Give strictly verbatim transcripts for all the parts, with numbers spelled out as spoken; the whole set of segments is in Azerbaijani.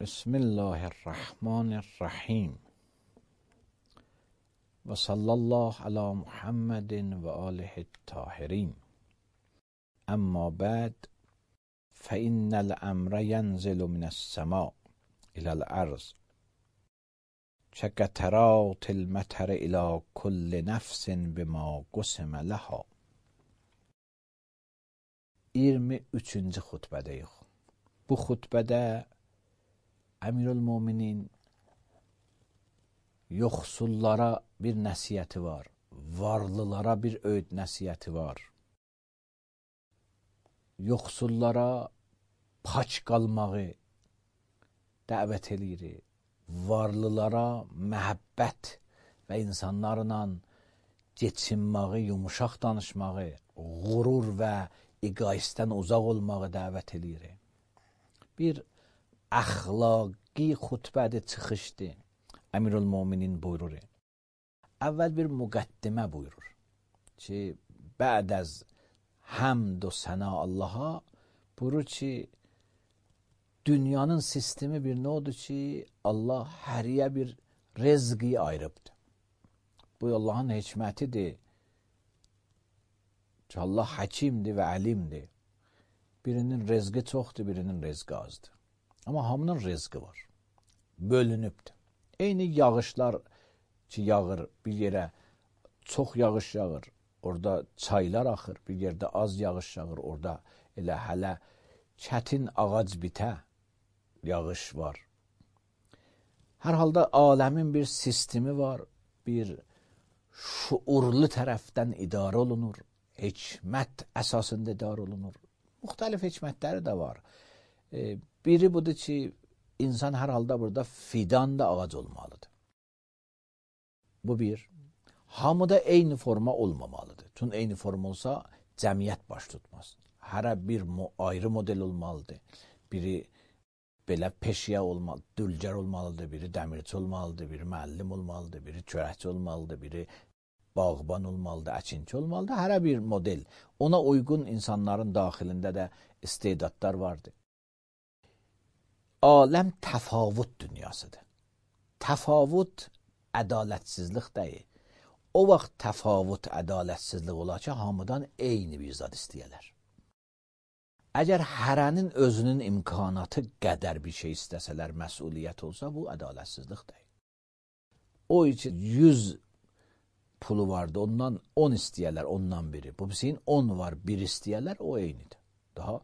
بسم الله الرحمن الرحیم و صلی الله علی محمد و آله الطاهرین. اما بعد فإن الامر ینزل من السماء الی الارض كقطرات المطر الی کل نفس بما قسم لها. iyirmi üçüncü xutbədeyiz. Bu xutbədə Əmirülmüminin yoxsullara bir nəsiyyəti var, varlılara bir öyüd nəsiyyəti var. Yoxsullara paç qalmağı dəvət eləyir, varlılara məhəbbət və insanlarla geçinməyi, yumuşaq danışmağı, qurur və egoistdən uzaq olmağı dəvət eləyir. Bir əxlaqi xutbədir, çıxışdır. Əmirülmüminin buyurur. Əvvəl bir müqəddimə buyurur ki, bə'd az həmd və səna Allaha buyurur ki, dünyanın sistemi bir nodur ki, Allah həriyə bir rezqi ayırıbdır. Bu Allahın hikmətidir ki, Allah həkimdir və əlimdir. Birinin rezqi çoxdur, birinin rezqi azdır. Amma hamının rezqi var. Bölünübdür. Eyni yağışlar ki, yağır bir yerə, çox yağış yağır, orada çaylar axır, bir yerdə az yağış yağır, orada elə hələ çətin ağac bitə yağış var. Hər halda aləmin bir sistemi var, bir şuurlu tərəfdən idarə olunur, hikmət əsasında idarə olunur. Müxtəlif hikmətləri də var. E, biri budur ki, insan hər halda burada fidan da ağac olmalıdır. Bu bir. Hamıda eyni forma olmamalıdır. Çünki eyni forma olsa cəmiyyət baş tutmaz. Hərə bir ayrı model olmalıdır. Biri belə peşiyə olmalı, dülgər olmalıdır, biri dəmirçi olmalıdır, biri müəllim olmalıdır, biri çörəkçi olmalıdır, biri bağban olmalıdır, əkinçi olmalıdır. Hərə bir model. Ona uyğun insanların daxilində də istedadlar vardır. Aləm təfavut dünyasıdır. Təfavut ədalətsizlik deyil. O vaxt təfavut ədalətsizlik olar ki, hamıdan eyni bir zad istəyirlər. Əgər hərənin özünün imkanatı qədər bir şey istəsələr, məsuliyyət olsa, bu ədalətsizlik deyil. O üçün yüz pulu vardı, ondan on istəyirlər, ondan biri. Bu birisinin on var, bir istəyirlər, o eynidir. Daha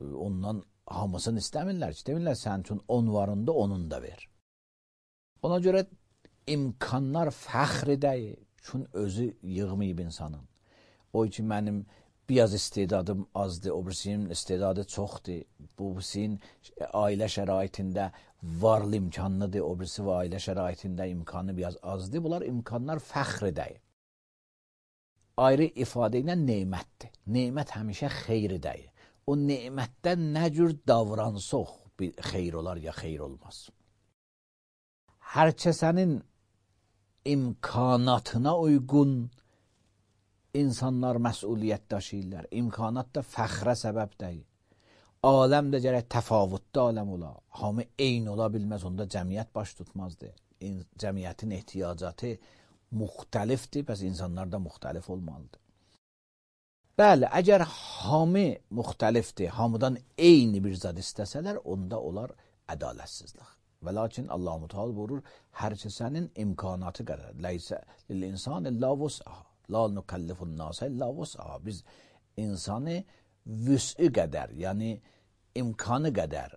ondan hamısını istəmirlər ki, demirlər sənin üçün on varında onun da ver. Ona görə imkanlar fəxri deyil, çünki özü yığmayıb insanın. O üçün mənim biraz istedadım azdır, o birisinin istedadı çoxdur, bu birisinin ailə şəraitində varlı imkanlıdır, o birisi və ailə şəraitində imkanı biraz azdır. Bunlar imkanlar fəxri deyil. Ayrı ifadə ilə neymətdir. Neymət həmişə xeyri deyil. O neymətdən nə cür davransaq bir xeyr olar ya xeyr olmaz. Hər kəsənin imkanatına uyğun insanlar məsuliyyət daşıyırlar. İmkanat da fəxrə səbəb deyil. Aləm də gərək təfavutda aləm ola. Hamı eyni ola bilməz, onda cəmiyyət baş tutmazdı. Cəmiyyətin ehtiyacatı müxtəlifdir, bəs insanlar da müxtəlif olmalıdır. Bəli, əgər hamı müxtəlifdir, hamıdan eyni bir zad istəsələr, onda olar ədalətsizlik. Və lakin Allah-u Teala buyurur, hər kəsənin imkanatı qədər. Leysə lil-insan illa vus'aha. La nukallifun nasa illa vus'aha. Biz insanı vüs'ü qədər, yəni imkanı qədər,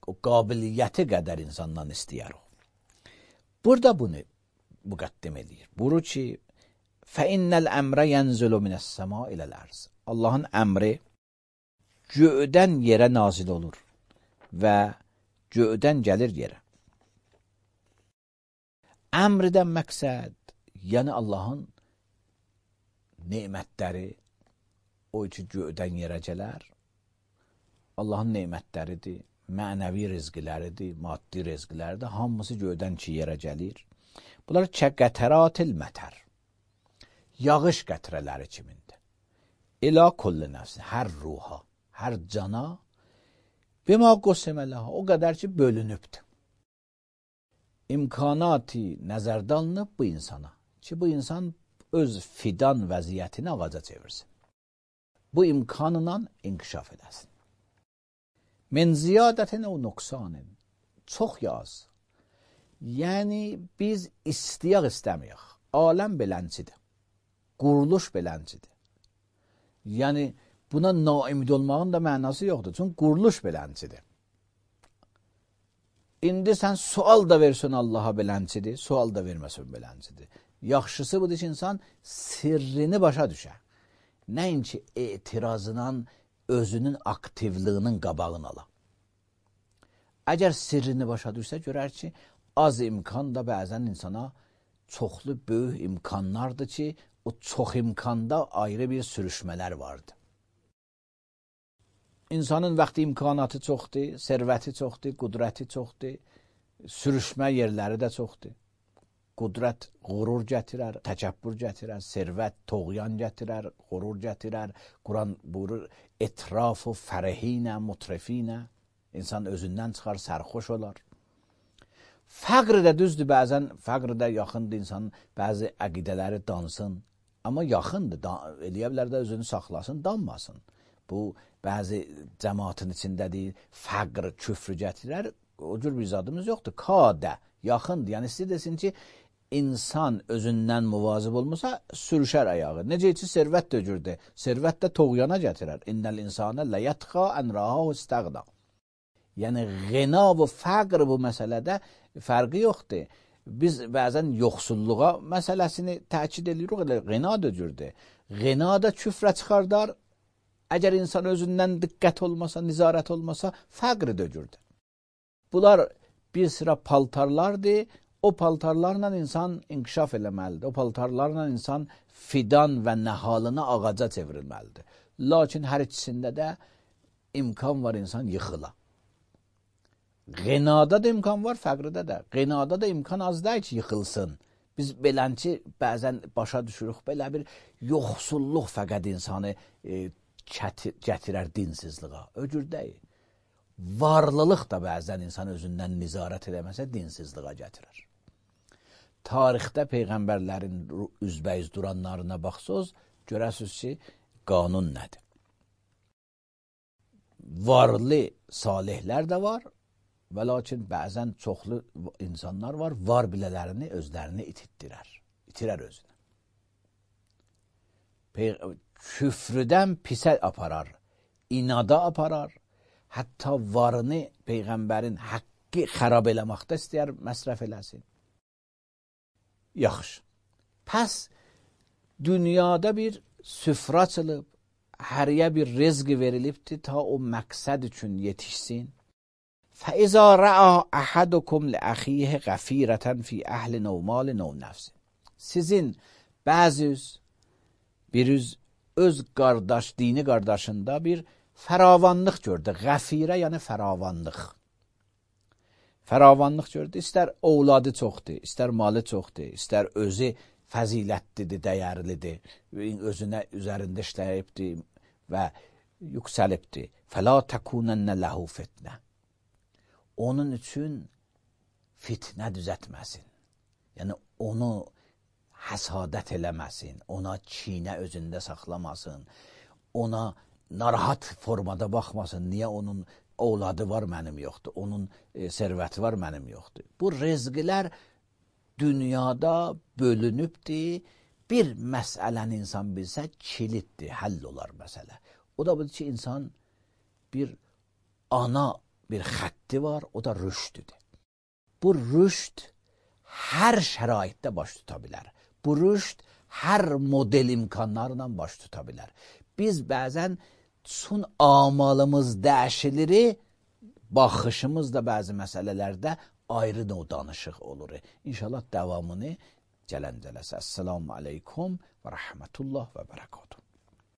o qabiliyyəti qədər insandan istəyər o. Burada bunu müqəddim edir. Buyurur ki, fəinnəl əmrə yənzulu minəs-səma iləl-ərz. Allahın əmri göydən yerə nazil olur və göydən gəlir yerə. Əmrdən məqsəd, yəni Allahın neymətləri, o üçün göydən yerə gələr. Allahın neymətləridir, mənəvi rizqiləridir, maddi rizqiləridir, hamısı göydən ki yerə gəlir. Bunlar kəqətəratil mətər, yağış qətrələri kimindir. İlə kulli nəfsin, hər ruha, hər cana Bima qussimə ləha, o qədər ki, bölünübdür. İmkanatı nəzərdə alınıb bu insana ki, bu insan öz fidan vəziyyətini ağaca çevirsin. Bu imkanla inkişaf edəsin. Min ziyadətin o nöqsanın, çox yaz. Yəni, biz istəyək istəməyək. Aləm beləncidir. Quruluş beləncidir. Yəni, buna naimid olmağın da mənası yoxdur. Çünki quruluş beləncidir. İndi sən sual da versin Allaha beləncidir, sual da verməsin beləncidir. Yaxşısı budur ki, insan sirrini başa düşər. Nəinki etirazından özünün aktivliyinin qabağını ala. Əgər sirrini başa düşsə, görər ki, az imkan da bəzən insana çoxlu böyük imkanlardır ki, o çox imkanda ayrı bir sürüşmələr vardır. İnsanın vaxtı imkanatı çoxdur, servəti çoxdur, qudrəti çoxdur, sürüşmə yerləri də çoxdur. Qudrət qurur gətirər, təkəbbür gətirər, servət toğyan gətirər, qurur gətirər. Quran buyurur, etrafu fərəhinə, mutrefinə. İnsan özündən çıxar, sərxoş olar. Fəqr də düzdür, bəzən fəqr də yaxındır insanın, bəzi əqidələri dansın. Amma yaxındır, eləyə bilər də özünü saxlasın, danmasın. Bu, bəzi cəmaatın içindədir, fəqr, küfrü gətirər, o cür bir zadımız yoxdur. Kadə, yaxındır, yəni istəyir desin ki, insan özündən muvazib olmasa, sürüşər ayağı. Necə ki, servət də cürdür, servət də toğyana gətirər. İnnəl insanə ləyətxa ənraha istəqda. Yəni, ғina və fəqr bu məsələdə fərqi yoxdur. Biz bəzən yoxsulluğa məsələsini təkid edirik, ғina da cürdür. Ғina da küfrə çıxardar. Əgər insan özündən diqqət olmasa, nizarət olmasa, fəqr də cürdür. Bunlar bir sıra paltarlardır. O paltarlarla insan inkişaf eləməlidir. O paltarlarla insan fidan və nəhalını ağaca çevrilməlidir. Lakin hər ikisində də imkan var insan yıxıla. Qinada da imkan var, fəqrdə də. Qinada da imkan az deyil ki, yıxılsın. Biz belənci bəzən başa düşürük, belə bir yoxsulluq fəqət insanı e, gətirər dinsizliğə. Öcür deyil. Varlılıq da bəzən insan özündən nizarət edəməsə dinsizliğə gətirir. Tarixdə peyğəmbərlərin üzbəyiz duranlarına baxsınız, görəsiniz ki, qanun nədir? Varlı salihlər də var və lakin bəzən çoxlu insanlar var, var bilələrini özlərini ititdirər, itirər özünü. Küfrüdən pisə aparar, inada aparar, hətta varını peyğəmbərin haqqı xərab eləməkdə istəyər, məsrəf eləsin. Yaxşı. Pəs dünyada bir süfra açılıb, həriyə bir rezqi verilibdir ta o məqsəd üçün yetişsin. فَإِذَا رَأَى أَحَدُكُمْ لِأَخِيهِ غَفِيرَةً فِي أَهْلٍ أَوْ مَالٍ أَوْ نَفْسٍ. Sizin bəziz birüz öz qardaş, dini qardaşında bir fəravanlıq gördü. Qəfirə, yəni fəravanlıq. Fəravanlıq gördü. İstər ovladı çoxdur, istər malı çoxdur, istər özü fəzilətlidir, dəyərlidir, özünə üzərində işləyibdir və yüksəlibdir. فَلَا تَكُونَنَّ لَهُ فِتْنَةً. Onun üçün fitnə düzətməsin. Yəni, onu həsadət eləməsin, ona çiynə özündə saxlamasın, ona narahat formada baxmasın. Niyə onun ovladı var, mənim yoxdur, onun e, servəti var, mənim yoxdur. Bu rezqilər dünyada bölünübdir. Bir məsələni insan bilsə, kilitdir, həll olar məsələ. O da budur ki, insan bir ana bir xətti var, o da rüşdüdür. Bu rüşd hər şəraitdə baş tuta bilər. Bu rüşd hər model imkanlarla baş tuta bilər. Biz bəzən sun amalımız dəyişilir, baxışımız da bəzi məsələlərdə ayrı növ danışıq olur. İnşallah davamını gələn cələsə. Esselamu aleykum və rəhmətullah və bərəkatuhu.